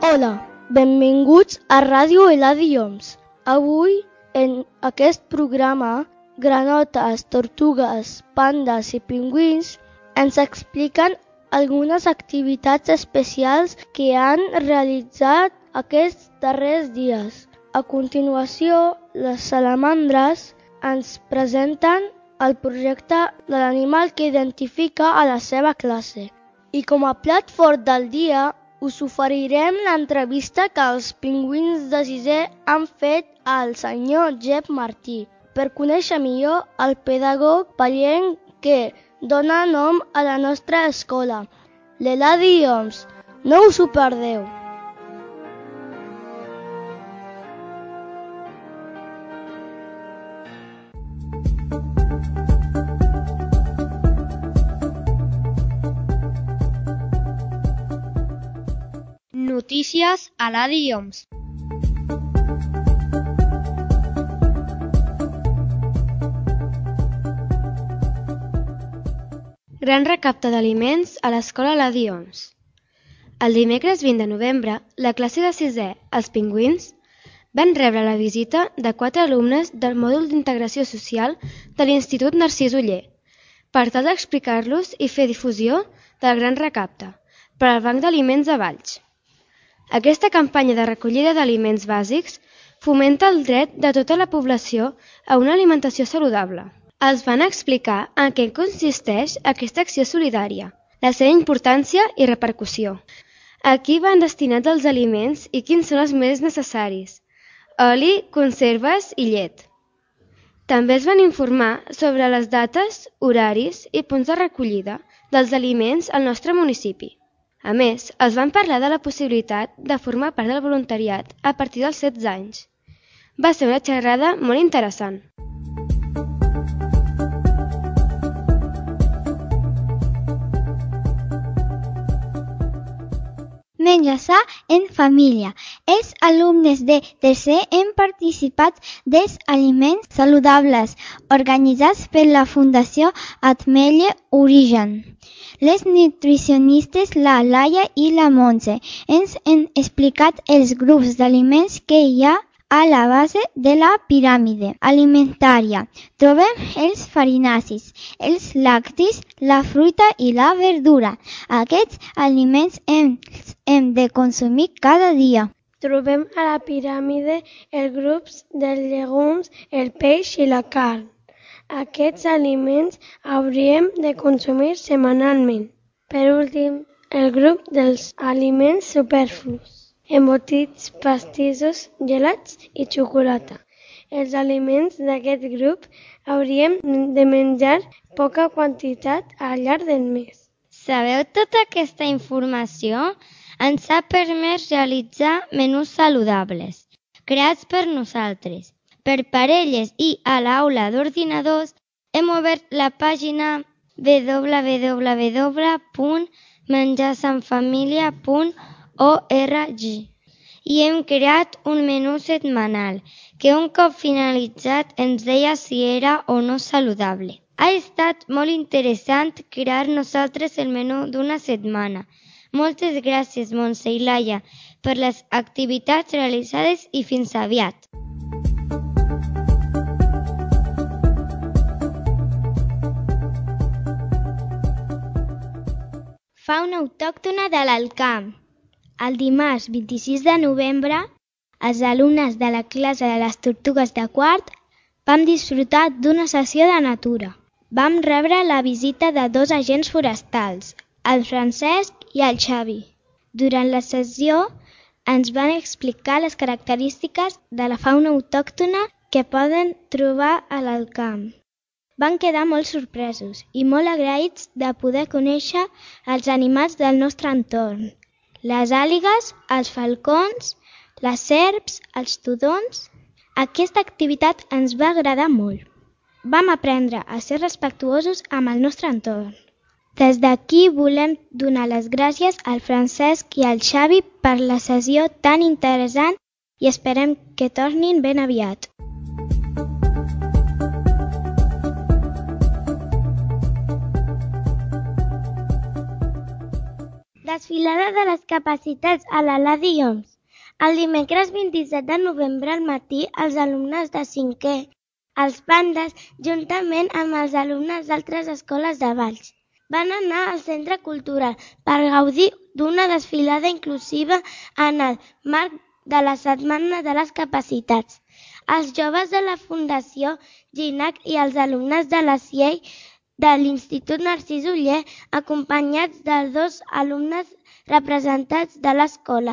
Hola, benvinguts a Ràdio Eladi Oms. Avui, en aquest programa, granotes, tortugues, pandes i pingüins ens expliquen algunes activitats especials que han realitzat aquests darrers dies. A continuació, les salamandres ens presenten el projecte de l'animal que identifica a la seva classe. I com a plat fort del dia, us oferirem l'entrevista que els pingüins de sisè han fet al senyor Jep Martí per conèixer millor el pedagog pallenc que dona nom a la nostra escola, l'Eladi Oms. No us ho perdeu! Notícies a Eladi Oms. Gran recapte d'aliments a l'escola Eladi Oms. El dimecres 20 de novembre, la classe de sisè, els pingüins, van rebre la visita de 4 alumnes del mòdul d'integració social de l'Institut Narcís Oller per tal d'explicar-los i fer difusió del gran recapte per al Banc d'Aliments de Valls. Aquesta campanya de recollida d'aliments bàsics fomenta el dret de tota la població a una alimentació saludable. Els van explicar en què consisteix aquesta acció solidària, la seva importància i repercussió. A qui van destinats els aliments i quins són els més necessaris: oli, conserves i llet. També es van informar sobre les dates, horaris i punts de recollida dels aliments al nostre municipi. A més, els van parlar de la possibilitat de formar part del voluntariat a partir dels 16 anys. Va ser una xerrada molt interessant. Menjar sa en família. Els alumnes de tercer han participat dels aliments saludables organitzats per la Fundació Ametlla Origen. Les nutricionistes la Laia i la Montse ens han explicat els grups d'aliments que hi ha a la base de la piràmide alimentària. Trobem els farinacis, els lactis, la fruita i la verdura. Aquests aliments hem de consumir cada dia. Trobem a la piràmide els grups dels llegums, el peix i la carn. Aquests aliments hauríem de consumir setmanalment. Per últim, el grup dels aliments superflus: embotits, pastissos, gelats i xocolata. Els aliments d'aquest grup hauríem de menjar poca quantitat al llarg del mes. Sabeu tota aquesta informació? Ens ha permès realitzar menús saludables, creats per nosaltres. Per parelles i a l'aula d'ordinadors hem obert la pàgina www.menjarsanfamilia.org i hem creat un menú setmanal que un cop finalitzat ens deia si era o no saludable. Ha estat molt interessant crear nosaltres el menú d'una setmana. Moltes gràcies, Montse i Laia, per les activitats realitzades i fins aviat. Fauna autòctona de l'Alt Camp. El dimarts 26 de novembre, els alumnes de la classe de les tortugues de quart vam disfrutar d'una sessió de natura. Vam rebre la visita de 2 agents forestals, el Francesc i el Xavi. Durant la sessió ens van explicar les característiques de la fauna autòctona que poden trobar a l'Alt Camp. Van quedar molt sorpresos i molt agraïts de poder conèixer els animals del nostre entorn. Les àligues, els falcons, les serps, els tudons. Aquesta activitat ens va agradar molt. Vam aprendre a ser respectuosos amb el nostre entorn. Des d'aquí volem donar les gràcies al Francesc i al Xavi per la sessió tan interessant i esperem que tornin ben aviat. Desfilada de les capacitats a l'Aladi Homs. El dimecres 27 de novembre al matí, els alumnes de 5è, els Pandes, juntament amb els alumnes d'altres escoles de Valls, van anar al Centre Cultural per gaudir d'una desfilada inclusiva en el marc de la Setmana de les Capacitats. Els joves de la Fundació GINAC i els alumnes de la CIEI de l'Institut Narcís Oller, acompanyats de 2 alumnes representats de l'escola,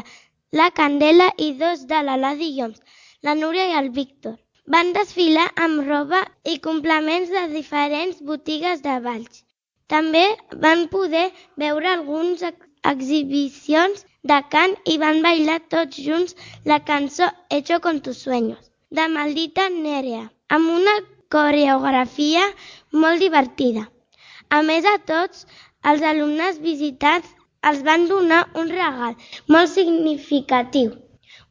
la Candela, i 2 de l'Aladi Homs, la Núria i el Víctor. Van desfilar amb roba i complements de diferents botigues de Valls. També van poder veure algunes exhibicions de cant i van bailar tots junts la cançó Hecho con tus sueños, de Maldita Nerea, amb una coreografia molt divertida. A més a tots, els alumnes visitants els van donar un regal molt significatiu,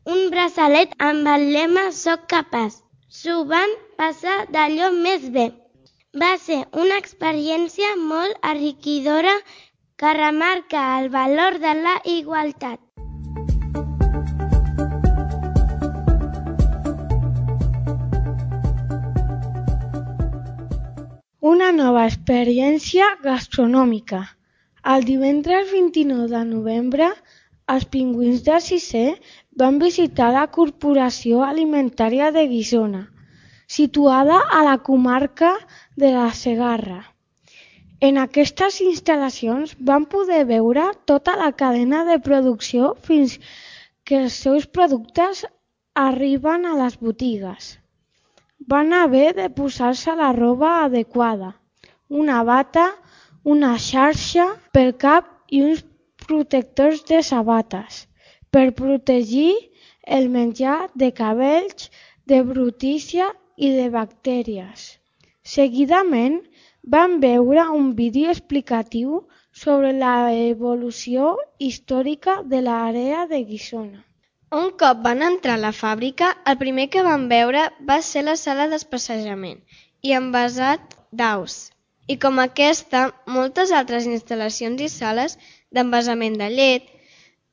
un braçalet amb el lema Soc capaç. S'ho van passar d'allò més bé. Va ser una experiència molt enriquidora que remarca el valor de la igualtat. Una nova experiència gastronòmica. El divendres 29 de novembre, els pingüins de 6è van visitar la Corporació Alimentària de Guissona, situada a la comarca de la Segarra. En aquestes instal·lacions van poder veure tota la cadena de producció fins que els seus productes arriben a les botigues. Van haver de posar-se la roba adequada, una bata, una xarxa pel cap i uns protectors de sabates per protegir el menjar de cabells, de brutícia i de bactèries. Seguidament van veure un vídeo explicatiu sobre l'evolució històrica de l'àrea de Guissona. Un cop van entrar a la fàbrica, el primer que van veure va ser la sala d'especejament i envasat d'aus. I com aquesta, moltes altres instal·lacions i sales d'envasament de llet,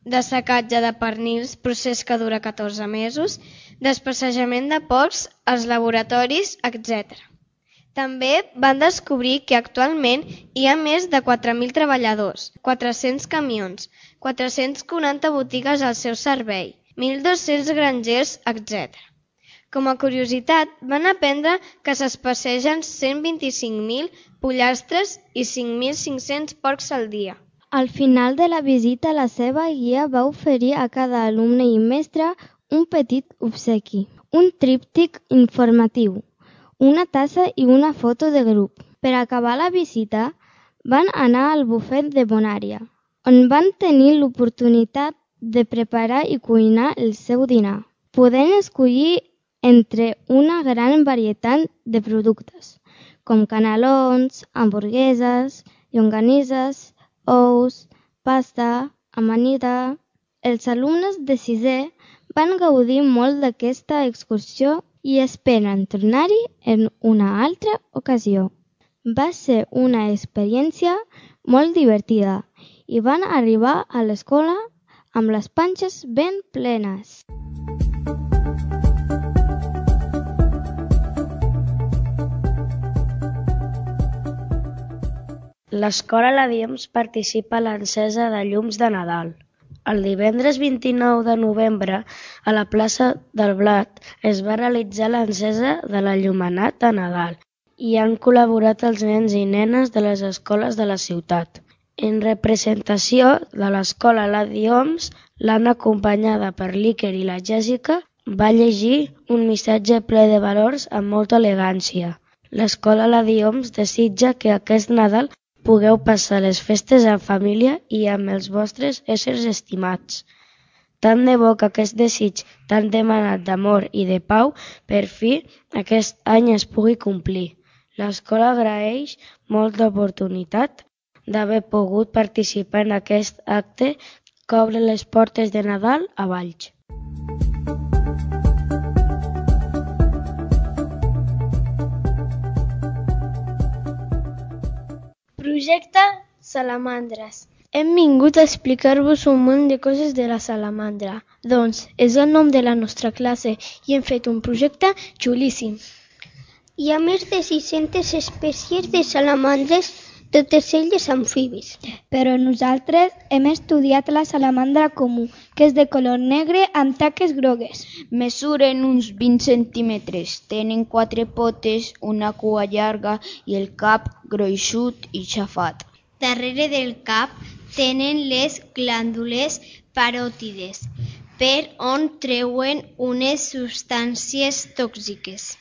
de secatge de pernils, procés que dura 14 mesos, d'especejament de porcs, els laboratoris, etc. També van descobrir que actualment hi ha més de 4.000 treballadors, 400 camions, 440 botigues al seu servei, 1.200 grangers, etc. Com a curiositat, van aprendre que s'especegen 125.000 pollastres i 5.500 porcs al dia. Al final de la visita, la seva guia va oferir a cada alumne i mestre un petit obsequi, un tríptic informatiu, una tassa i una foto de grup. Per acabar la visita, van anar al bufet de Bonària, on van tenir l'oportunitat de preparar i cuinar el seu dinar, podent escollir entre una gran varietat de productes, com canelons, hamburgueses, llonganisses, ous, pasta, amanida. Els alumnes de 6è van gaudir molt d'aquesta excursió i esperen tornar-hi en una altra ocasió. Va ser una experiència molt divertida i van arribar a l'escola amb les panxes ben plenes. L'escola Aladi Homs participa a l'encesa de llums de Nadal. El divendres 29 de novembre, a la plaça del Blat, es va realitzar l'encesa de l'enllumenat de Nadal i han col·laborat els nens i nenes de les escoles de la ciutat. En representació de l'escola Aladi Homs, l'Anna, acompanyada per l'Iker i la Jèssica, va llegir un missatge ple de valors amb molta elegància. L'escola Aladi Homs desitja que aquest Nadal pugueu passar les festes en família i amb els vostres éssers estimats. Tant de bo que aquest desig tan demanat d'amor i de pau per fi aquest any es pugui complir. L'escola agraeix molt l'oportunitat d'haver pogut participar en aquest acte que obre les portes de Nadal a Valls. Projecte Salamandres. Hem vingut a explicar-vos un munt de coses de la salamandra. Doncs és el nom de la nostra classe i hem fet un projecte xulíssim. Hi ha més de 600 espècies de salamandres, totes elles amfibis. Però nosaltres hem estudiat la salamandra comú, que és de color negre amb taques grogues. Mesuren uns 20 centímetres, tenen 4 potes, una cua llarga i el cap gruixut i xafat. Darrere del cap tenen les glàndules paròtides, per on treuen unes substàncies tòxiques.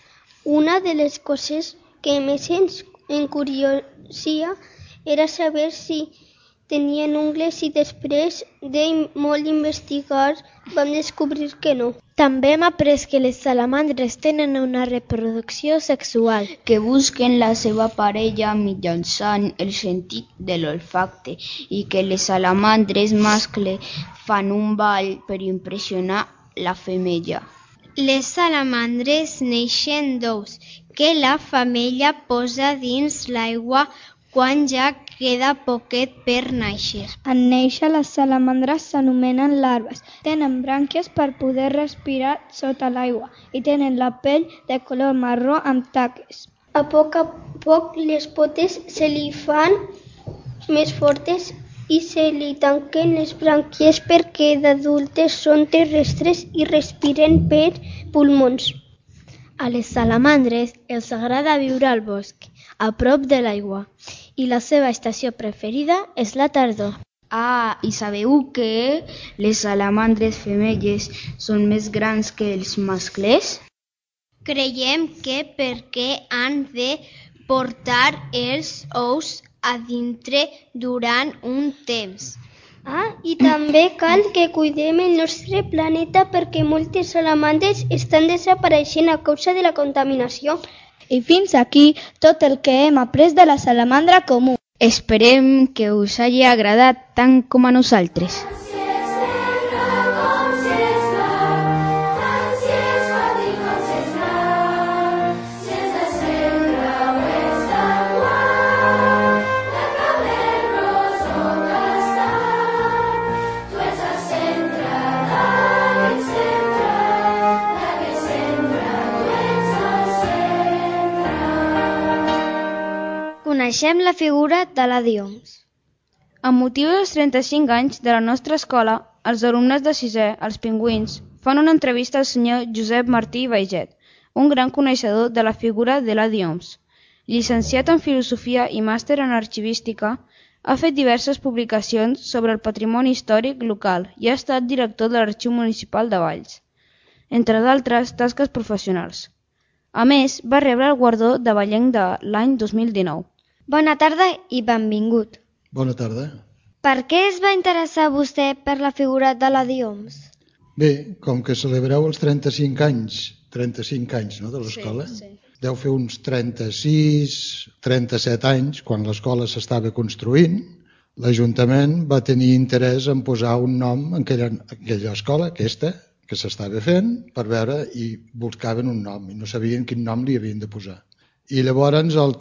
Una de les coses que més ens encuriosia era saber si tenien ungles i després de molt investigar vam descobrir que no. També hem après que les salamandres tenen una reproducció sexual. Que busquen la seva parella mitjançant el sentit de l'olfacte i que les salamandres mascle fan un ball per impressionar la femella. Les salamandres neixen d'ous que la femella posa dins l'aigua quan ja queda poquet per néixer. En néixer, les salamandres s'anomenen larves. Tenen brànquies per poder respirar sota l'aigua i tenen la pell de color marró amb taques. A poc les potes se li fan més fortes i se li tanquen les brànquies perquè d'adultes són terrestres i respiren per pulmons. A les salamandres els agrada viure al bosc, a prop de l'aigua, i la seva estació preferida és la tardor. Ah, i sabeu que les salamandres femelles són més grans que els mascles? Creiem que perquè han de portar els ous a dintre durant un temps. I també cal que cuidem el nostre planeta perquè moltes salamandres estan desapareixent a causa de la contaminació. I fins aquí tot el que hem après de la salamandra comú. Esperem que us hagi agradat tant com a nosaltres. Coneixem la figura de la Dioms. Amb motiu dels 35 anys de la nostra escola, els alumnes de 6è, els pingüins, fan una entrevista al senyor Josep Martí Baiget, un gran coneixedor de la figura de la Dioms. Llicenciat en Filosofia i màster en Arxivística, ha fet diverses publicacions sobre el patrimoni històric local i ha estat director de l'Arxiu Municipal de Valls, entre d'altres tasques professionals. A més, va rebre el guardó de Vallenc de l'any 2019. Bona tarda i benvingut. Bona tarda. Per què es va interessar vostè per la figura de la Dioms? Bé, com que celebreu els 35 anys no, de l'escola, sí. Deu fer uns 37 anys, quan l'escola s'estava construint, l'Ajuntament va tenir interès en posar un nom en aquella escola, aquesta, que s'estava fent, per veure, i buscaven un nom, i no sabien quin nom li havien de posar. I llavors el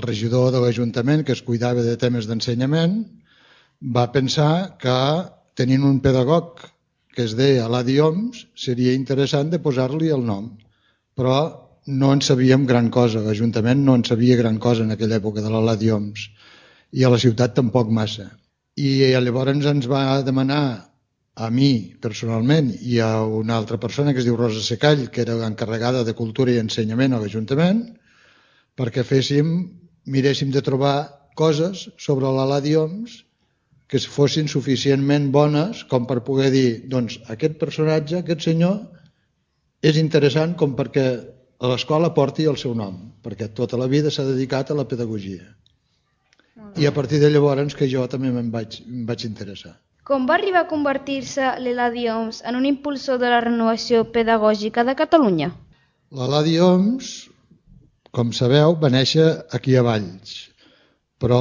regidor de l'Ajuntament, que es cuidava de temes d'ensenyament, va pensar que tenint un pedagog que es deia Eladi Homs, seria interessant de posar-li el nom. Però no en sabíem gran cosa, l'Ajuntament no en sabia gran cosa en aquella època de l'Eladi Homs, i a la ciutat tampoc massa. I llavors ens va demanar a mi personalment i a una altra persona que es diu Rosa Secall, que era l'encarregada de Cultura i Ensenyament a l'Ajuntament, perquè miréssim de trobar coses sobre l'Eladi Homs que fossin suficientment bones com per poder dir, doncs aquest personatge, aquest senyor, és interessant com perquè a l'escola porti el seu nom, perquè tota la vida s'ha dedicat a la pedagogia. I a partir de llavors que jo també em vaig interessar. Com va arribar a convertir-se l'Eladi Homs en un impulsor de la renovació pedagògica de Catalunya? L'Eladi Homs, com sabeu, va néixer aquí a Valls, però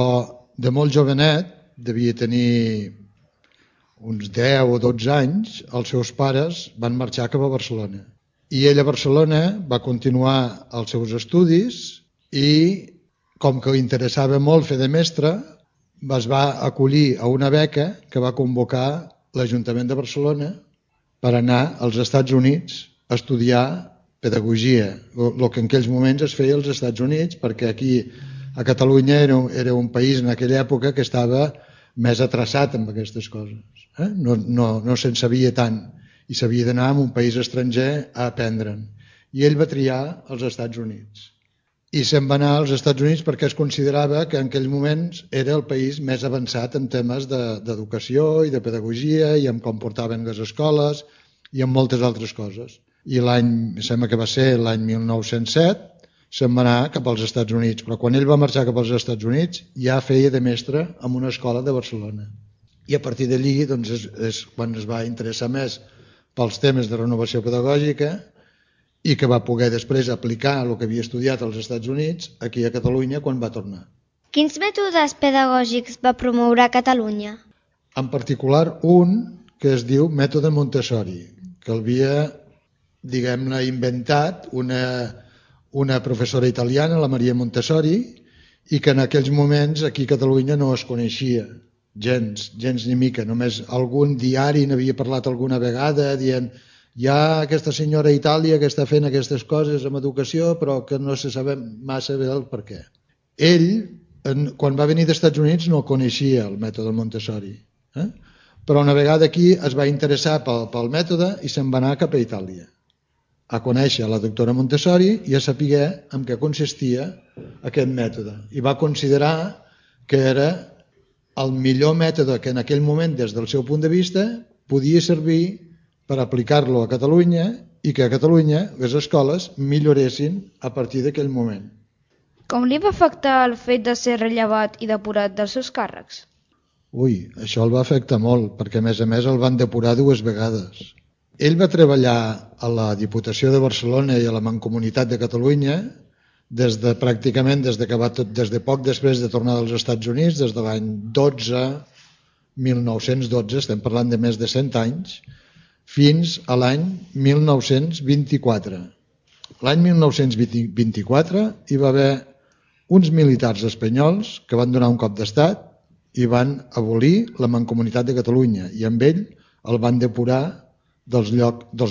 de molt jovenet, devia tenir uns 10 o 12 anys, els seus pares van marxar cap a Barcelona. I ell a Barcelona va continuar els seus estudis i, com que li interessava molt fer de mestre, es va acollir a una beca que va convocar l'Ajuntament de Barcelona per anar als Estats Units a estudiar pedagogia, el que en aquells moments es feia als Estats Units, perquè aquí a Catalunya era un país en aquella època que estava més atraçat amb aquestes coses. No se'n sabia tant i s'havia d'anar a un país estranger a aprendre'n. I ell va triar els Estats Units. I se'n va anar als Estats Units perquè es considerava que en aquells moments era el país més avançat en temes d'educació i de pedagogia i en com portaven les escoles i en moltes altres coses. I sembla que va ser l'any 1907, se'n va anar cap als Estats Units, però quan ell va marxar cap als Estats Units ja feia de mestre en una escola de Barcelona. I a partir d'allí doncs, és quan es va interessar més pels temes de renovació pedagògica i que va poder després aplicar el que havia estudiat als Estats Units aquí a Catalunya quan va tornar. Quins mètodes pedagògics va promoure a Catalunya? En particular un que es diu mètode Montessori, que havia, diguem-ne, inventat una professora italiana, la Maria Montessori, i que en aquells moments aquí a Catalunya no es coneixia gens ni mica. Només algun diari n'havia parlat alguna vegada dient hi ha aquesta senyora a Itàlia que està fent aquestes coses amb educació però que no se sap massa bé el per què. Ell, quan va venir dels Estats Units, no coneixia el mètode Montessori, però una vegada aquí es va interessar pel mètode i se'n va anar cap a Itàlia a conèixer la doctora Montessori i a saber en què consistia aquest mètode. I va considerar que era el millor mètode que en aquell moment, des del seu punt de vista, podia servir per aplicar-lo a Catalunya i que a Catalunya les escoles milloressin a partir d'aquell moment. Com li va afectar el fet de ser rellevat i depurat dels seus càrrecs? Això el va afectar molt, perquè a més el van depurar 2 vegades. Ell va treballar a la Diputació de Barcelona i a la Mancomunitat de Catalunya des de poc després de tornar dels Estats Units, des de l'any 1912, estem parlant de més de 100 anys, fins a l'any 1924. L'any 1924 hi va haver uns militars espanyols que van donar un cop d'estat i van abolir la Mancomunitat de Catalunya i amb ell el van depurar dels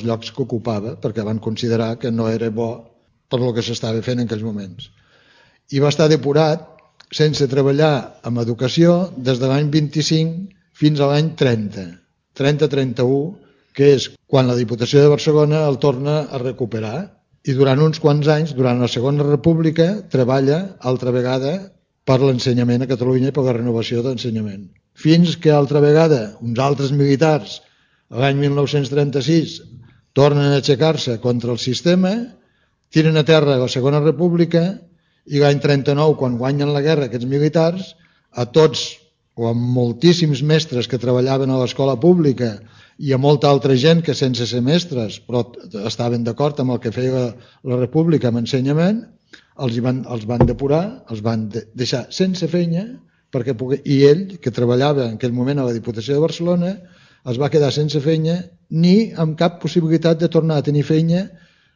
llocs que ocupava perquè van considerar que no era bo per el que s'estava fent en aquells moments. I va estar depurat sense treballar en educació des de l'any 25 fins a l'any 30-31, que és quan la Diputació de Barcelona el torna a recuperar. I durant uns quants anys, durant la Segona República, treballa altra vegada per l'ensenyament a Catalunya i per la renovació d'ensenyament. Fins que altra vegada uns altres militars, l'any 1936, tornen a aixecar-se contra el sistema, tiren a terra la Segona República i l'any 39, quan guanyen la guerra aquests militars, a tots o a moltíssims mestres que treballaven a l'escola pública i a molta altra gent que sense ser mestres però estaven d'acord amb el que feia la República amb ensenyament, els van depurar, els van deixar sense feina i ell, que treballava en aquell moment a la Diputació de Barcelona, es va quedar sense feina ni amb cap possibilitat de tornar a tenir feina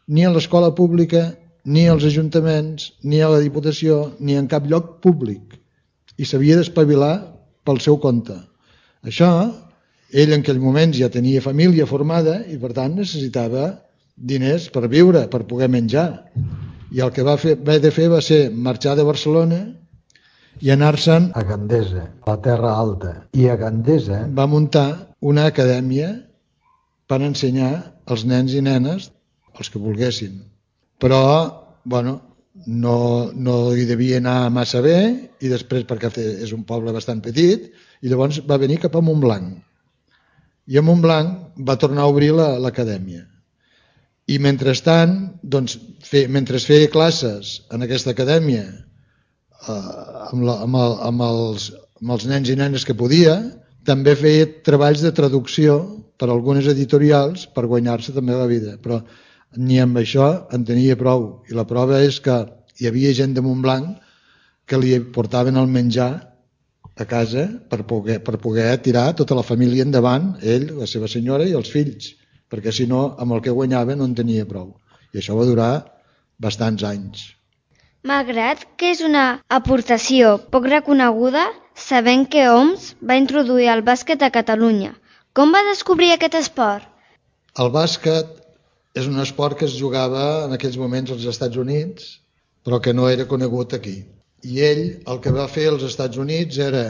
ni a l'escola pública, ni als ajuntaments, ni a la Diputació, ni en cap lloc públic. I s'havia d'espavilar pel seu compte. Això, ell en aquell moment ja tenia família formada i per tant necessitava diners per viure, per poder menjar. I el que va haver de fer va ser marxar de Barcelona i anar-se'n a Gandesa, a la Terra Alta. I a Gandesa va muntar una acadèmia per ensenyar als nens i nenes els que volguessin. Però, no hi devia anar massa bé i després perquè és un poble bastant petit i llavors va venir cap a Montblanc. I a Montblanc va tornar a obrir l'acadèmia. I mentrestant, mentre feia classes en aquesta acadèmia amb els nens i nenes que podia, també feia treballs de traducció per a algunes editorials per guanyar-se també la vida. Però ni amb això en tenia prou. I la prova és que hi havia gent de Montblanc que li portaven el menjar a casa per poder tirar tota la família endavant, ell, la seva senyora i els fills, perquè si no, amb el que guanyava no en tenia prou. I això va durar bastants anys. Malgrat que és una aportació poc reconeguda, sabent que Homs va introduir el bàsquet a Catalunya. Com va descobrir aquest esport? El bàsquet és un esport que es jugava en aquells moments als Estats Units, però que no era conegut aquí. I ell el que va fer als Estats Units era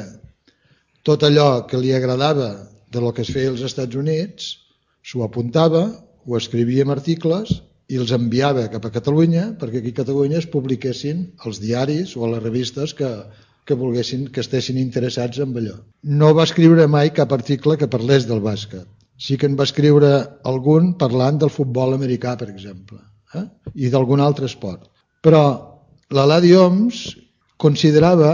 tot allò que li agradava de lo que es feia als Estats Units, s'ho apuntava, ho escrivia en articles i els enviava cap a Catalunya perquè aquí a Catalunya es publiquessin els diaris o les revistes que volguessin, que estessin interessats en allò. No va escriure mai cap article que parlés del bàsquet. Sí que en va escriure algun parlant del futbol americà, per exemple, i d'algun altre esport. Però l'Eladi Homs considerava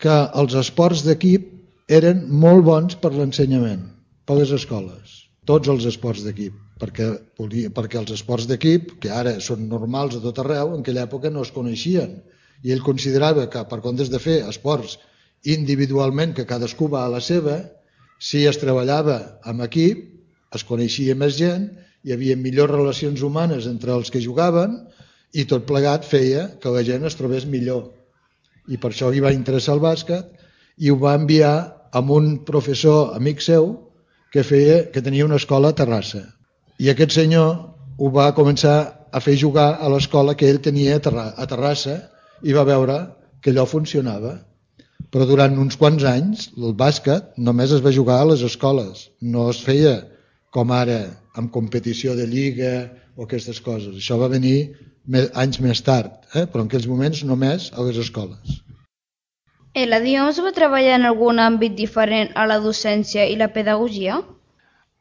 que els esports d'equip eren molt bons per l'ensenyament, per les escoles, tots els esports d'equip, perquè els esports d'equip, que ara són normals a tot arreu, en aquella època no es coneixien, i ell considerava que per comptes de fer esports individualment, que cadascú va a la seva, si es treballava en equip, es coneixia més gent, hi havia millors relacions humanes entre els que jugaven i tot plegat feia que la gent es trobés millor. I per això li va interessar el bàsquet i ho va enviar amb un professor amic seu que tenia una escola a Terrassa. I aquest senyor ho va començar a fer jugar a l'escola que ell tenia a Terrassa i va veure que allò funcionava. Però durant uns quants anys el bàsquet només es va jugar a les escoles, no es feia com ara amb competició de lliga o aquestes coses. Això va venir anys més tard, però en aquells moments només a les escoles. Eladi Homs va treballar en algun àmbit diferent a la docència i la pedagogia?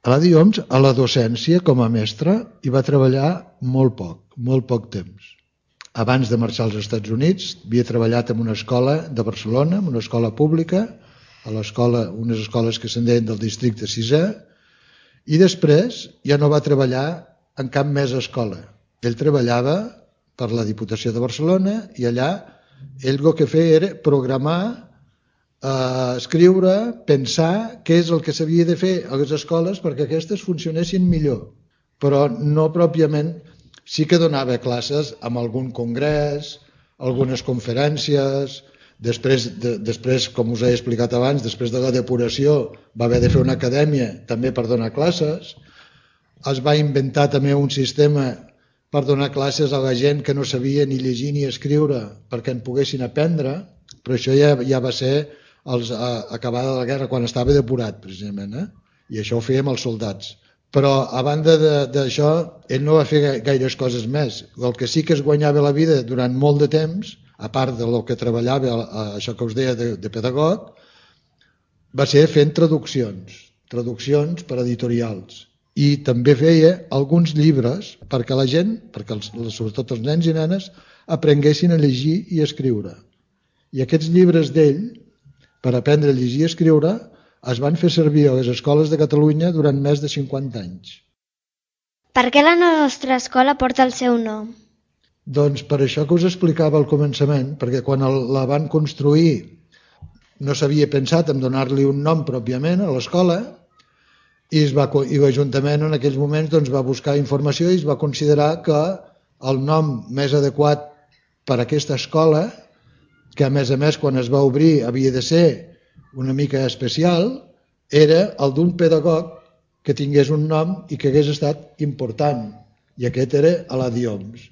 Eladi Homs a la docència com a mestre hi va treballar molt poc temps. Abans de marxar als Estats Units havia treballat en una escola de Barcelona, en una escola pública, unes escoles que se'n deien del districte 6è, i després ja no va treballar en cap més escola. Ell treballava per la Diputació de Barcelona i allà ell el que feia era programar, escriure, pensar què és el que s'havia de fer a les escoles perquè aquestes funcionessin millor, però no pròpiament. Sí que donava classes amb algun congrés, algunes conferències, després, com us he explicat abans, després de la depuració va haver de fer una acadèmia també per donar classes, es va inventar també un sistema per donar classes a la gent que no sabia ni llegir ni escriure perquè en poguessin aprendre, però això ja va ser acabada la guerra, quan estava depurat precisament, i això ho fèiem els soldats. Però a banda d'això, ell no va fer gaires coses més. El que sí que es guanyava la vida durant molt de temps, a part del que treballava, això que us deia de pedagog, va ser fent traduccions per editorials. I també feia alguns llibres perquè la gent, sobretot els nens i nenes, aprenguessin a llegir i a escriure. I aquests llibres d'ell, per aprendre a llegir i a escriure, es van fer servir a les escoles de Catalunya durant més de 50 anys. Per què la nostra escola porta el seu nom? Doncs per això que us explicava al començament, perquè quan la van construir no s'havia pensat en donar-li un nom pròpiament a l'escola, i l'Ajuntament en aquells moments va buscar informació i es va considerar que el nom més adequat per a aquesta escola, que a més quan es va obrir havia de ser una mica especial, era el d'un pedagog que tingués un nom i que hagués estat important, i aquest era Eladi Homs.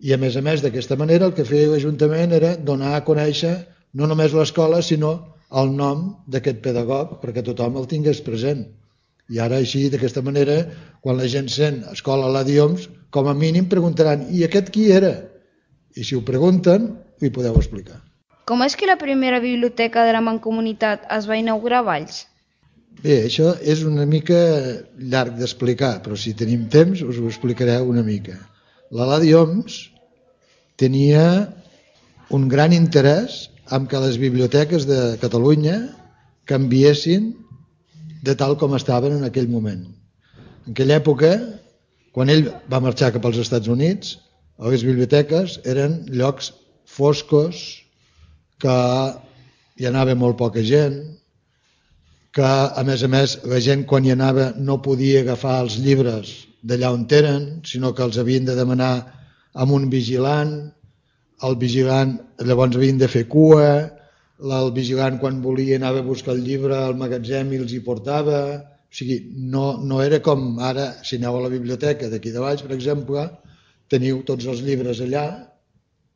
I a més d'aquesta manera el que feia l'Ajuntament era donar a conèixer no només l'escola sinó el nom d'aquest pedagog perquè tothom el tingués present. I ara així, d'aquesta manera, quan la gent sent escola Eladi Homs, com a mínim preguntaran, i aquest qui era? I si ho pregunten, ho hi podeu explicar. Com és que la primera biblioteca de la Mancomunitat es va inaugurar a Valls? Bé, això és una mica llarg d'explicar, però si tenim temps us ho explicaré una mica. L'Eladi Homs tenia un gran interès en que les biblioteques de Catalunya canviessin de tal com estaven en aquell moment. En aquella època, quan ell va marxar cap als Estats Units, les biblioteques eren llocs foscos, que hi anava molt poca gent, que a més la gent quan hi anava no podia agafar els llibres d'allà on eren, sinó que els havien de demanar amb un vigilant, el vigilant, llavors havien de fer cua, el vigilant quan volia anava a buscar el llibre al magatzem i els hi portava. O sigui, no era com ara, si aneu a la biblioteca d'aquí de Valls, per exemple, teniu tots els llibres allà,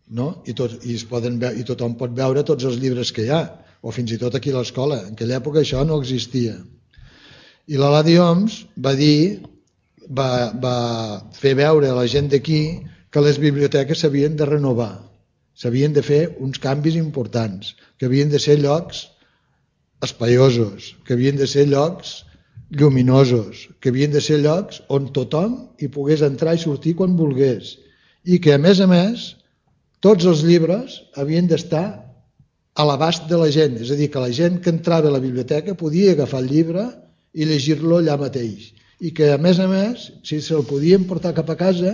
no? I tothom pot veure tots els llibres que hi ha, o fins i tot aquí a l'escola. En aquella època això no existia. I l'Eladi Homs va fer veure a la gent d'aquí que les biblioteques s'havien de renovar, s'havien de fer uns canvis importants, que havien de ser llocs espaiosos, que havien de ser llocs lluminosos, que havien de ser llocs on tothom hi pogués entrar i sortir quan volgués, i que a més, tots els llibres havien d'estar a l'abast de la gent, és a dir, que la gent que entrava a la biblioteca podia agafar el llibre i llegir-lo allà mateix, i que a més, si se'l podien portar cap a casa,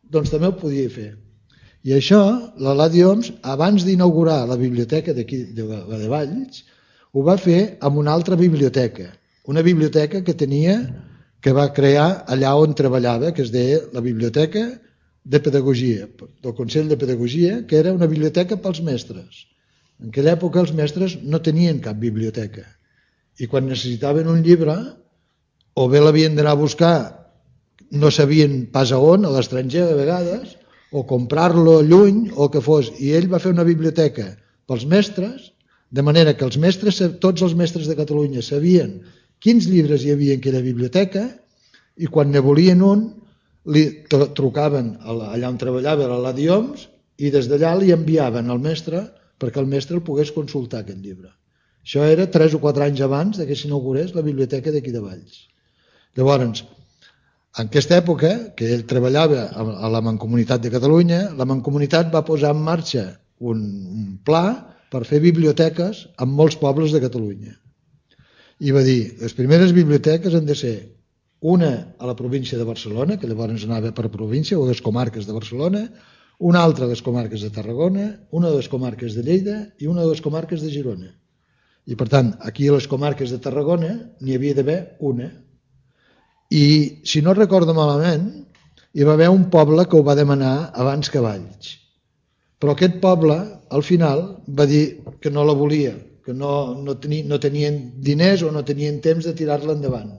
doncs també ho podia fer. I això, l'Eladi Homs, abans d'inaugurar la biblioteca d'aquí de Valls, ho va fer amb una altra biblioteca, una biblioteca que va crear allà on treballava, que es deia la Biblioteca de Pedagogia, del Consell de Pedagogia, que era una biblioteca pels mestres. En aquella època els mestres no tenien cap biblioteca, i quan necessitaven un llibre, o bé l'havien d'anar a buscar, no sabien pas a on, a l'estranger de vegades, o comprar-lo lluny, o que fos. I ell va fer una biblioteca pels mestres, de manera que tots els mestres de Catalunya sabien quins llibres hi havia en aquella biblioteca, i quan ne volien un, li trucaven allà on treballava l'Eladi Homs, i des d'allà li enviaven al mestre perquè el mestre el pogués consultar aquest llibre. Això era 3 o 4 anys abans que s'inaugurés la biblioteca d'aquí de Valls. Llavors, en aquesta època, que ell treballava a la Mancomunitat de Catalunya, la Mancomunitat va posar en marxa un pla per fer biblioteques en molts pobles de Catalunya. I va dir, les primeres biblioteques han de ser una a la província de Barcelona, que llavors anava per província, o les comarques de Barcelona, una altra a les comarques de Tarragona, una a les comarques de Lleida i una a les comarques de Girona. I per tant, aquí a les comarques de Tarragona n'hi havia d'haver una. I si no recordo malament, hi va haver un poble que ho va demanar abans que Valls. Però aquest poble, al final, va dir que no la volia, que no tenien diners o no tenien temps de tirar-la endavant.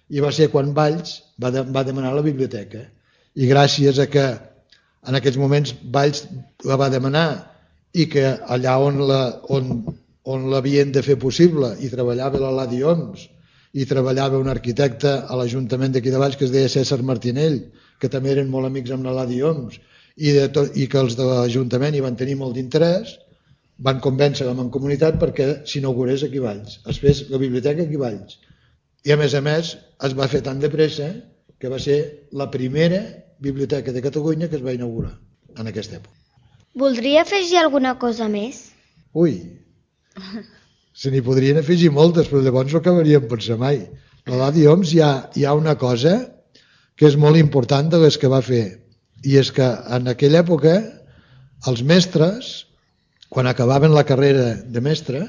I va ser quan Valls va demanar la biblioteca. I gràcies a que en aquests moments Valls la va demanar i que allà on l'havien de fer possible i treballava l'Eladi Homs i treballava un arquitecte a l'Ajuntament d'aquí de Valls que es deia César Martinell, que també eren molt amics amb l'Eladi Homs, i que els de l'Ajuntament hi van tenir molt d'interès, van convèncer la Mancomunitat perquè s'inaugurés aquí a Valls, es fes la biblioteca aquí a Valls. I a més es va fer tan de pressa que va ser la primera biblioteca de Catalunya que es va inaugurar en aquesta època. Voldria afegir alguna cosa més? Ui, se n'hi podrien afegir moltes, però llavors no acabaríem pensar mai. A l'Eladi Homs hi ha una cosa que és molt important de les que va fer, i és que en aquella època els mestres, quan acabaven la carrera de mestre,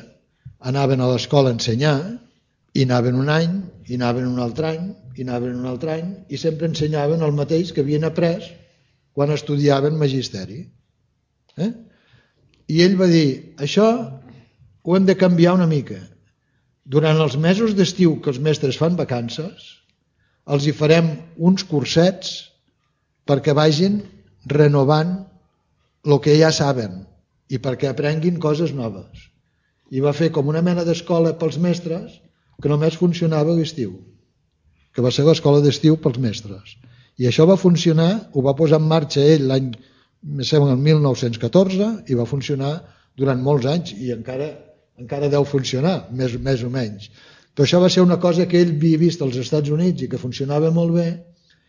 anaven a l'escola a ensenyar, i anaven un any, i anaven un altre any, i anaven un altre any, i sempre ensenyaven el mateix que havien après quan estudiaven magisteri. I ell va dir, això ho hem de canviar una mica. Durant els mesos d'estiu que els mestres fan vacances, els hi farem uns cursets perquè vagin renovant el que ja saben i perquè aprenguin coses noves. I va fer com una mena d'escola pels mestres que només funcionava a l'estiu, que va ser l'escola d'estiu pels mestres. I això va funcionar, ho va posar en marxa ell l'any, em sembla, el 1914, i va funcionar durant molts anys, i encara deu funcionar, més o menys. Però això va ser una cosa que ell havia vist als Estats Units i que funcionava molt bé,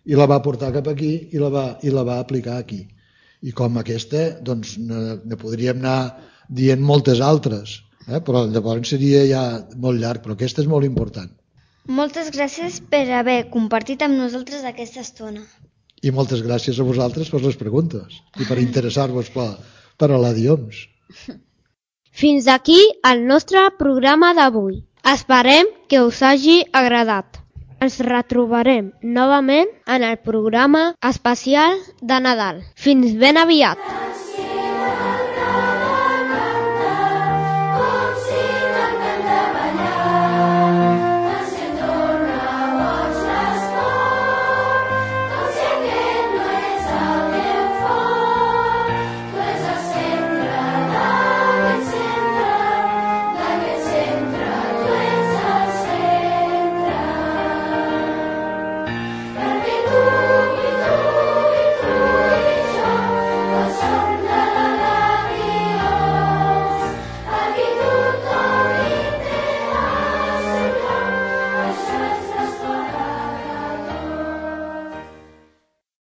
i la va portar cap aquí i la va aplicar aquí. I com aquesta, doncs, ne podríem anar dient moltes altres, però llavors seria ja molt llarg, però aquesta és molt important. Moltes gràcies per haver compartit amb nosaltres aquesta estona. I moltes gràcies a vosaltres per les preguntes i per interessar-vos per l'Eladi Homs. Fins aquí el nostre programa d'avui. Esperem que us hagi agradat. Ens retrobarem novament en el programa especial de Nadal. Fins ben aviat!